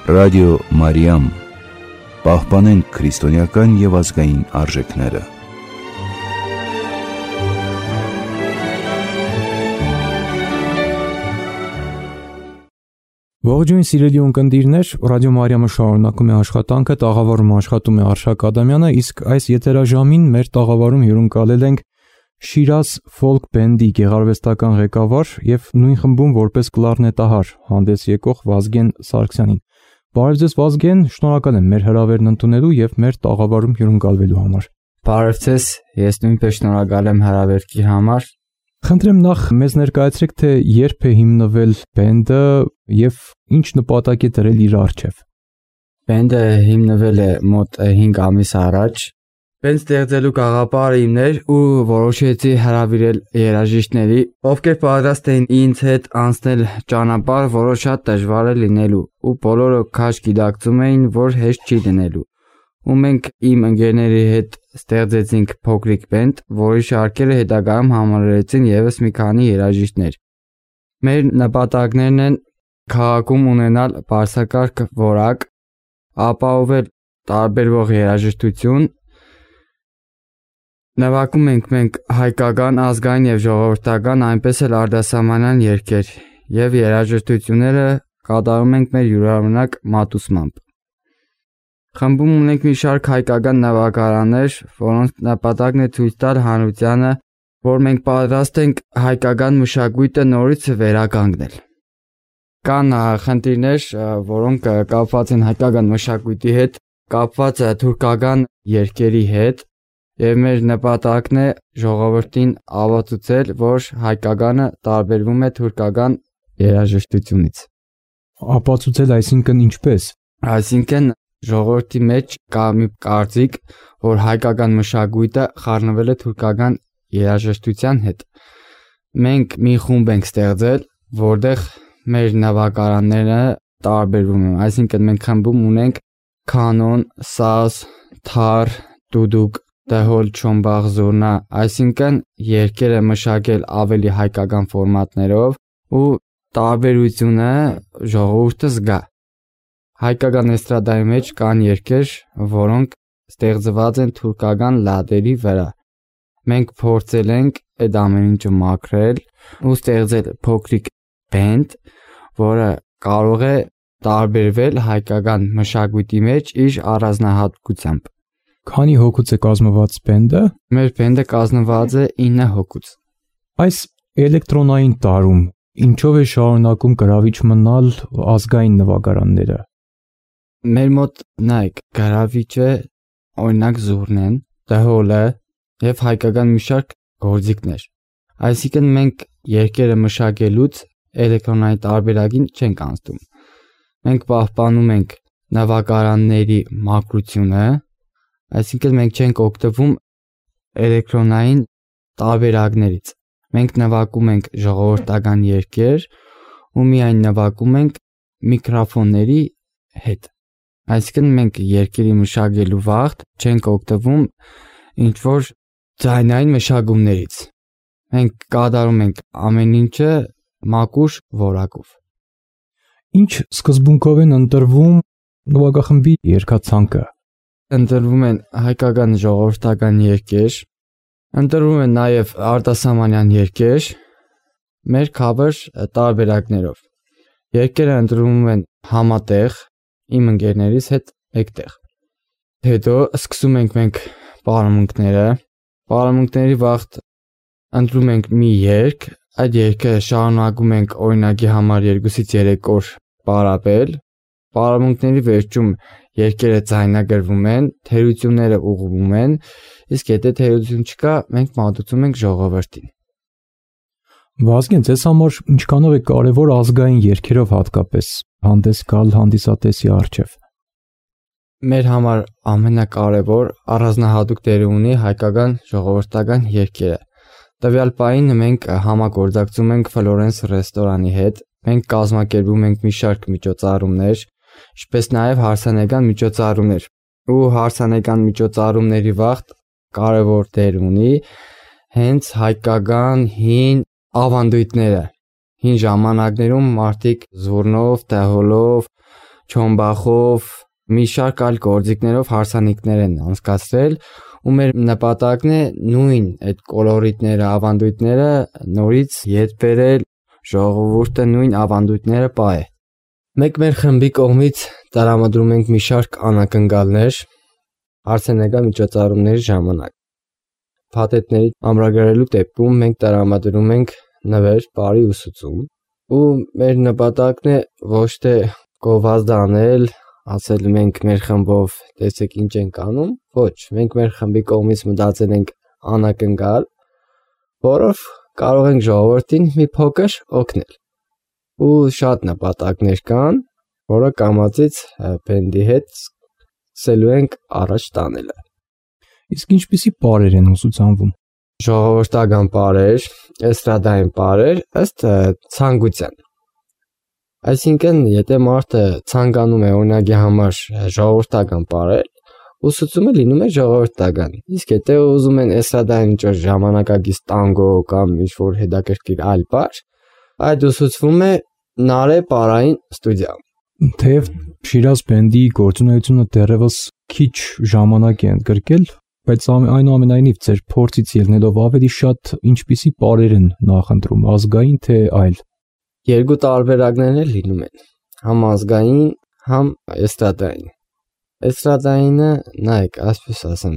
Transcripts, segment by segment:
Ռադիո Մարիամ։ Պահպանենք քրիստոնեական և ազգային արժեքները։ Ողջույն սիրելի ունկնդիրներ, Ռադիո Մարիամը շարունակում է աշխատանքը, տաղավարում աշխատում է Արշակ Ադամյանը, իսկ այս եթերաժամին մեր տաղավարում հյուրընկալել ենք Շիրազ ֆոլք բենդի գեղարվեստական ղեկավար և նույն խմբում որպես կլարնետահար հանդես եկող Վազգեն Սարգսյանին։ Բարև ձեզ Վազգեն, շնորհակալ եմ մեր հրավերն ընդունելու և մեր տաղավարում հյուրընկալվելու համար։ Բարև ձեզ, ես նույնպես շնորհակալ եմ հրավերքի համար։ Խնդրեմ նախ մեզ ներկայացրեք, թե երբ է հիմնվել բենդը և ինչ նպատակ է դրել իր առջև։ Բենդը հիմնվել է մոտ 5 ամիս առաջ։ Բենդ ստեղծելու գաղափարը իմն էր ու որոշեցի հրավիրել երաժիշտների, ովքեր պատրաստ էին ինձ հետ անցնել ճանապարհ, որը շատ դժվար է լինելու, ու բոլորը քաջ գիտակցում էին, որ հեշտ չի լինելու։ Ու մենք իմ ընկերների հետ ստեղծեցինք փոքրիկ բենդ, որի շարքերը հետագայում համալրեցին ևս մի քանի երաժիշտներ։ Մեր նպատակներն են քաղաքում ունենալ բարձրակարգ որակ, ապահովել տարբերվող երաժշտություն, նվագում ենք մենք հայկական, ազգային և ժողովրդական, այնպես էլ արտասահմանյան երգեր և երաժշտությունները կատարում ենք մեր յուրօրինակ մատուցմամբ։ Խմբում ունենք մի շարք հայկական նվագարաններ, որոնց նպատակն է ցույց տալ հանրությանը, որ մենք պատրաստ ենք հայկական մշակույթը նորից վերականգնել։ Կան խնդիրներ, որոնք կապված են հայկական մշակույթի հետ, կապված թուրքական երգերի հետ, և մեր նպատակն է ժողովրդին ապացուցել, որ հայկականը տարբերվում է թուրքական երաժշտությունից։ Ապացուցել այսինքն ինչպես։ Այսինքն ժողովրդի մեջ կա մի կարծիք, որ հայկական մշակույթը խառնվել է թուրքական երաժշտության հետ։ Մենք մի խումբ ենք ստեղծել, որտեղ մեր նվագարանները տարբերվում են, այսինքն մենք խմբում ունենք կանոն, սազ, թար, դուդուկ, դհոլ, չոմբաղ, զուրնա, այսինքն երգերը մշակել ավելի հայկական ֆորմատներով ու տարբերությունը ժողովուրդը զգա։ Հայկական էստրադայի մեջ կան երգեր, որոնք ստեղծված են թուրքական լատերի վրա։ Մենք փորձել ենք այդ ամեն ինչը մաքրել ու ստեղծել փոքրիկ բենդ, որը կարող է տարբերվել հայկական մշակույթի մեջ իր առանձնահատկությամբ։ Քանի հոգուց է կազմված բենդը։ Մեր բենդը կազմված է 9 հոգուց։ Այս էլեկտրոնային տարում ինչով է շարունակում գրավիչ մնալ ազգային նվագարանները։ Մեր մոտ նայեք, գրավիչը օրինակ զուրնեն, դհոլը և հայկական մի շարք գործիքներ։ Այսինքն մենք երգերը մշակելուց էլեկտրոնային տարբերակին չենք անցնում։ Մենք պահպանում ենք նվագարանների մաքրությունը, այսինքն մենք չենք օգտվում էլեկտրոնային տարբերակներից։ Մենք նվագում ենք ժողովրդական երգեր ու միայն նվագում ենք միկրոֆոնների հետ։ Այսինքն մենք երգերի մշակելու վաղտ չենք օգտվում ինչ-որ ձայնային մշակումներից։ Մենք կատարում ենք ամեն ինչը մաքուր որակով։ Ինչ սկզբունքով են ընտրվում նվագախմբի երգացանկը։ Ընտրվում են հայկական ժողովրդական երգեր, ընտրվում են նաև արտասահմանյան երգեր, մեր cover տարբերակներով։ Երգերը ընտրվում են համատեղ իմ ընկերներից հետ մեկտեղ։ Հետո սկսում ենք մենք պարամունքները։ Պարամունքների վաղտ ընտրում ենք մի երգ, այդ երգը շարունակում ենք օրինակի համար 2-ից 3 օր պարապել։ Պարամունքների վերջում երգերը ձայնագրվում են, թերությունները ուղղվում են, իսկ եթե թերություն չկա, մենք մատուցում ենք ժողովրդին։ Վազգեն, ձեզ համար ինչքանով է կարևոր ազգային երգերով հատկապես հանդես գալ հանդիսատեսի առջև։ Մեր համար ամենակարևոր առանձնահատուկ դեր ունի հայկական ժողովրդական երգերը։ Տվյալ պահին մենք համագործակցում ենք Ֆլորենս ռեստորանի հետ, մենք կազմակերպում ենք մի շարք միջոցառումներ, ինչպես նաև հարսանեկան միջոցառումներ։ Ու հարսանեկան միջոցառումների վաղտ կարևոր դեր ունի հենց հայկական հին ավանդույթները։ Հին ժամանակներում մարդիկ զուռնով, դհոլով, չոմբախով, մի շարք այլ գործիքներով հարսանիքներ են անցկացրել ու մեր նպատակն է նույն այդ կոլորիտները, ավանդույթները նորից ետ բերել, ժողովուրդը նույն ավանդույթները պահե։ Մենք մեր խմբի կողմից տրամադրում ենք մի շարք անակնկալներ հարսանեկան միջոցառումների ժամանակ։ Փաթեթների ամրագրելու դեպքում մենք տրամադրում ենք նվեր, բարի ուսուցում ու մեր նպատակն է ոչ թե գովազդ անել, ասել մենք մեր խմբով տեսեք ինչ ենք անում, ոչ, մենք մեր խմբի կողմից մտածել ենք անակնկալ, որով կարող ենք ժողովրդին մի փոքր օգնել։ Ու շատ նպատակներ կան, որը կամացից բենդի հետ սկսելու ենք առաջ տանելը։ Իսկ ինչպիսի պարեր են ուսուցանվում։ Ժողովրդական պարեր, էստրադային պարեր ըստ ցանկության։ Այսինքն, եթե մարդը ցանկանում է օրինակի համար ժողովրդական պարել, ուսուցումը լինում է ժողովրդական։ Իսկ եթե ուզում են էստրադային ինչ-որ ժամանակակից տանգո կամ ինչ-որ հետաքրքիր այլ պար, այդ ուսուցվում է Նարե պարային ստուդիայում։ Թեև Շիրազ բենդի գործունեությունը դեռևս քիչ ժամանակ է ընդգրկել, բայց այնուամենայնիվ ձեր փորձից ելնելով ավելի շատ ինչպիսի պարեր են նախընտրում, ազգային թե այլ։ Երկու տարբերակներ էլ լինում են, համ ազգային, համ էստրադային։ Էստրադայինը, նայեք, այսպես ասեմ,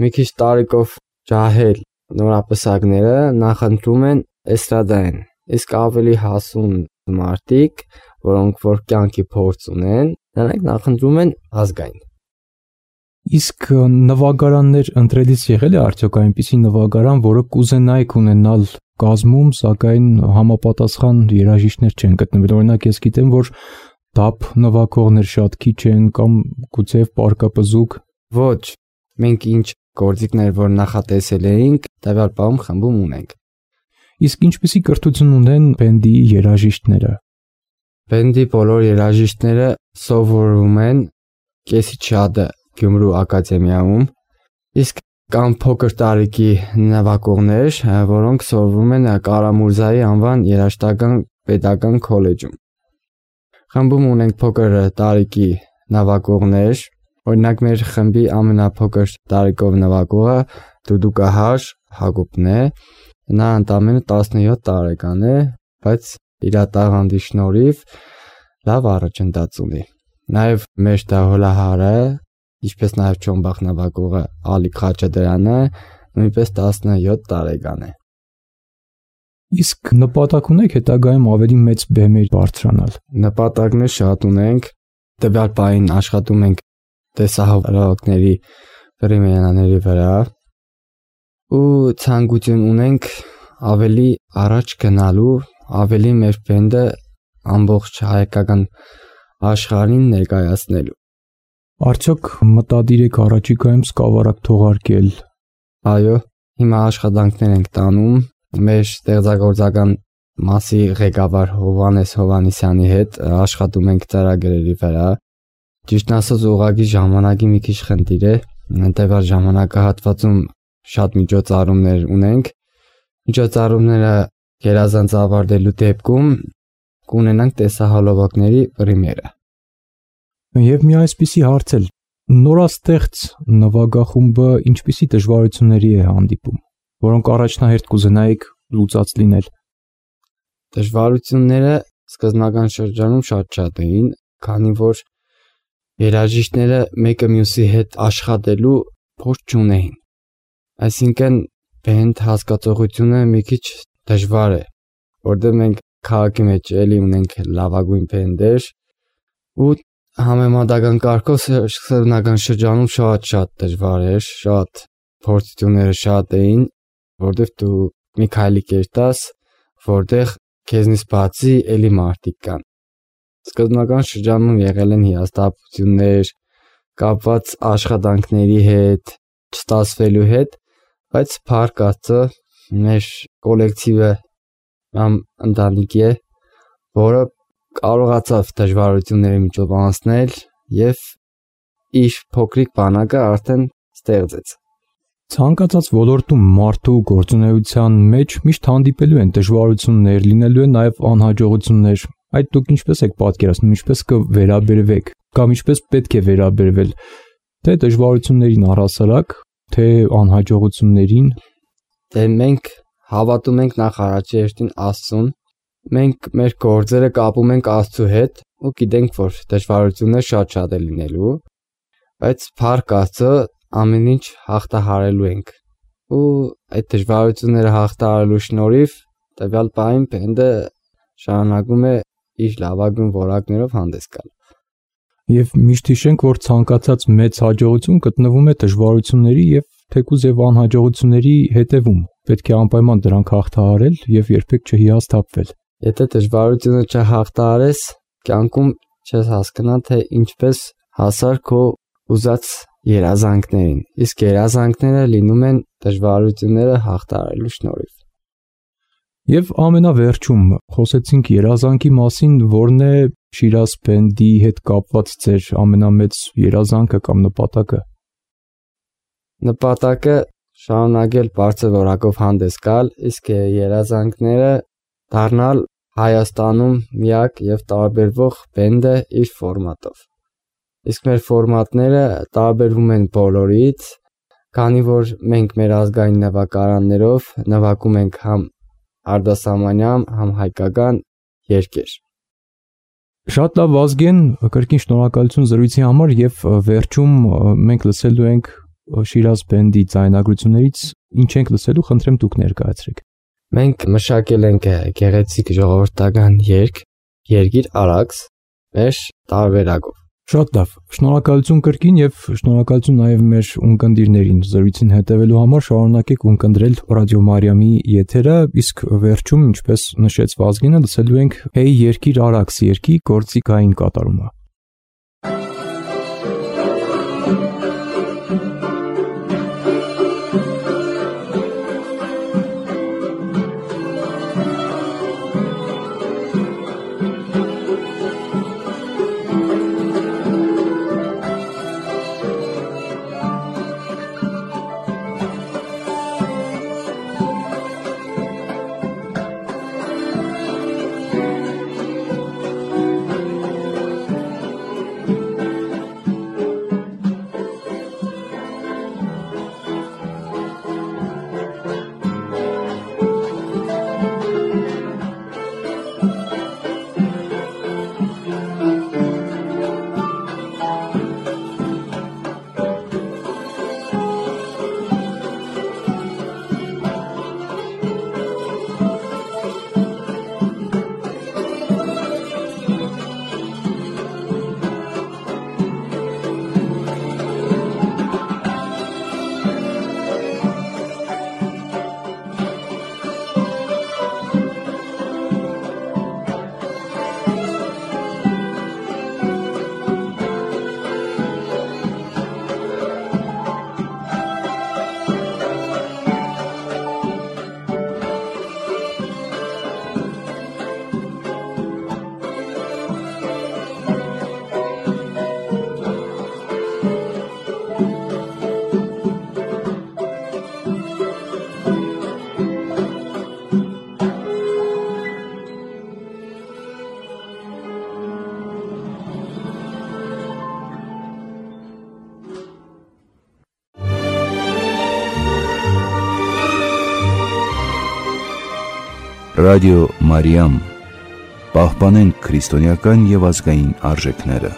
մի քիչ տարիքով ջահել նորապսակները նախընտրում են էստրադային, իսկ ավելի հասուն մարդիկ, որոնք որ կյանքի փորձ ունեն, նրանք նախընտրում են ազգային։ Իսկ նվագարաններ ընտրելիս եղել է արդյոք այնպիսի նվագարան, որը կուզենայիք ունենալ կազմում, սակայն համապատասխան երաժիշտներ չեն գտնվել։ Օրինակ ես գիտեմ, որ դափ նվագողներ շատ քիչ են կամ գուցեև պարկապզուկ։ Ոչ, մենք ինչ գործիքներ որ նախատեսել էինք, տվյալ պահում խմբում ունենք։ Իսկ ինչպիսի կրթություն ունեն բենդի երաժիշտները։ Բենդի բոլոր երաժիշտները սովորում են Կեսիչադը Գյումրու ակադեմիայում, իսկ կան փոքր տարիքի նվագողներ, որոնք սովորում են Կարամուրզայի անվան երաժշտական պետական քոլեջում։ Խմբում ունենք փոքր տարիքի նվագողներ, օրինակ մեր խմբի ամենափոքր տարիքով նվագողը Դուդուկահար Հակոբն է, նա ընդամենը 17 տարեկան է, բայց իր տաղանդի շնորհիվ լավ առաջընթաց ունի։ Նաև մեր դահոլահարը, ինչպես նաև ճոմբախ նվագողը Ալիկ Խաչատրյանը նույնպես 17 տարեկան է։ Իսկ նպատակ ունեք հետագայում ավելի մեծ բեմեր բարձրանալ։ Նպատակներ շատ ունենք, տվյալ պահին աշխատում ենք տեսահոլովակների պրեմիերաների վրա ու ցանկություն ունենք ավելի առաջ գնալու, ավելի մեր բենդը ամբողջ հայկական աշխարհին ներկայացնելու։ Արդյոք մտադիր եք առաջիկայում սկավառակ թողարկել։ Այո, հիմա աշխատանքներ ենք տանում մեր ստեղծագործական մասի ղեկավար Հովանես Հովանեսյանի հետ աշխատում ենք ծրագրերի վրա։ Ճիշտ ասած, ուղղակի ժամանակի մի քիչ խնդիր է, տվյալ ժամանակահատվածում շատ միջոցառումներ ունենք։ Միջոցառումները գերազանց ավարտելու դեպքում կունենանք տեսահոլովակների պրեմիերա։ Եվ մի այսպիսի հարց էլ, նորաստեղծ նվագախումբը ինչպիսի դժվարությունների է հանդիպում, որոնք առաջնահերթ կուզենայիք լուծած լինել։ Դժվարությունները սկզբնական շրջանում շատ էին, քանի որ երաժիշտները մեկը մյուսի հետ աշխատելու փորձ չունեին։ Այսինքն բենդ հասկացողությունը մի քիչ դժվար է, որտեղ մենք քաղաքի մեջ էլի ունենք լավագույն բենդեր ու համեմատական կարգով սկզբնական շրջանում շատ դժվար էր, շատ փորձությունները շատ էին, որտեղ դու մի քայլի կերտաս, որտեղ քեզնից բացի էլի մարդիկ կան։ Սկզբնական շրջանում եղել են հիասթափություններ, կապված աշխատանքների հետ, չստացվելու հետ, բայց փառք Աստծո, մեր կոլեկտիվը կամ ընտանիք է, որը կարողացավ դժվարությունների միջով անցնել եւ իր փոքրիկ բանակը արդեն ստեղծեց։ Ցանկացած ոլորտում մարդու գործունեության մեջ միշտ հանդիպելու են դժվարություններ, լինելու են նաև անհաջողություններ։ Այդ դուք ինչպես եք պատկերացնում, ինչպես կվերաբերվեք, կամ ինչպես պետք է վերաբերվել թե դժվարություններին առհասարակ, թե անհաջողություններին։ Դե մենք հավատում ենք նախ առաջի հերթին Աստծուն, մենք մեր գործերը կապում ենք Աստծու հետ ու գիտենք, որ դժվարություններ շատ է լինելու, բայց փառք Աստծո ամեն ինչ հաղթահարելու ենք։ Ու այդ դժվարությունները հաղթահարելու շնորհիվ տվյալ պահին բենդը շարունակում է իր լավագույն որակներով հանդես գալ։ Եվ միշտ հիշենք, որ ցանկացած մեծ հաջողություն գտնվում է դժվարությունների եւ թեկուզ եւ անհաջողությունների հետևում։ Պետք է անպայման դրանք հաղթահարել եւ երբեք չհիասթափվել։ Եթե դժվարությունը չհաղթահարես, կյանքում չես հասկանա, թե ինչպես հասար քո ուզած երազանքներին։ Իսկ երազանքները լինում են դժվարությունները հաղթահարելու շնորհիվ։ Եվ ամենավերջում խոսեցինք երազանքի մասին, որն է Շիրազ բենդի հետ կապված ձեր ամենամեծ երազանքը կամ նպատակը։ Նպատակը շարունակել բարձր որակով հանդես գալ, իսկ երազանքները դառնալ Հայաստանում միակ եւ տարբերվող բենդը իր ֆորմատով։ Իսկ մեր ֆորմատները տարբերվում են բոլորից, քանի որ մենք մեր ազգային նվագարաններով նվագում ենք համ արտասահմանյան, համ հայկական երգեր։ Շատ լավ, Վազգեն, կրկին շնորհակալություն զրույցի համար եւ վերջում մենք լսելու ենք Շիրազ բենդի ձայնագրություններից ինչ ենք լսելու, խնդրեմ դուք ներկայացրեք։ Մենք մշակել ենք գեղեցիկ ժողովրդական երգ, Երգիր Արաքս, մեր տարբերակով։ Շատ լավ, շնորհակալություն կրկին եւ շնորհակալություն նաեւ մեր ունկնդիրներին զրույցին հետևելու համար, շարունակեք ունկնդրել Ռադիո Մարիամի եթերը, իսկ վերջում, ինչպես նշեց Վազգենը, լսելու ենք Hey Երգիր Արաքս երգի գործիքային կատարումը։ Ռադիո Մարիամ, պահպանենք քրիստոնեական եւ ազգային արժեքները։